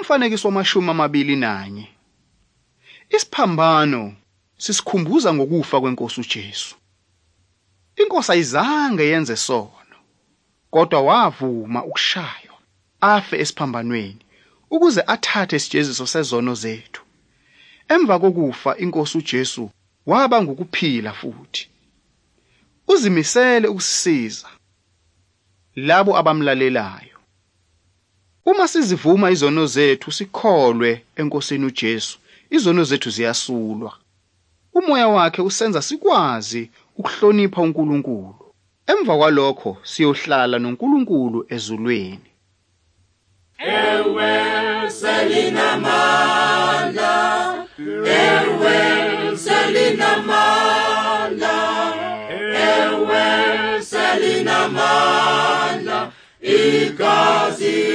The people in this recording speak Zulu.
Umfanekiso wama-21. Isiphambano sisikhumbuza ngokufa kwenkosi uJesu. Inkosi ayizange yenze sono, kodwa wavuma ukushaywa afe esiphambanweni ukuze athathe isijeziso sezono zethu. Emva kokufa inkosi uJesu waba ngukuphila futhi. Uzimisele ukusisiza labo abamlalelayo. Uma sizivuma izono zethu sikholwe enkosini uJesu, izono zethu ziyasulwa. Umoya wakhe usenza sikwazi ukuhlonipha uNkulunkulu. Emva kwalokho siyohlala noNkulunkulu ezulwini. Ewe selinamandla, ewe selinamandla, ewe selinamandla, igazi.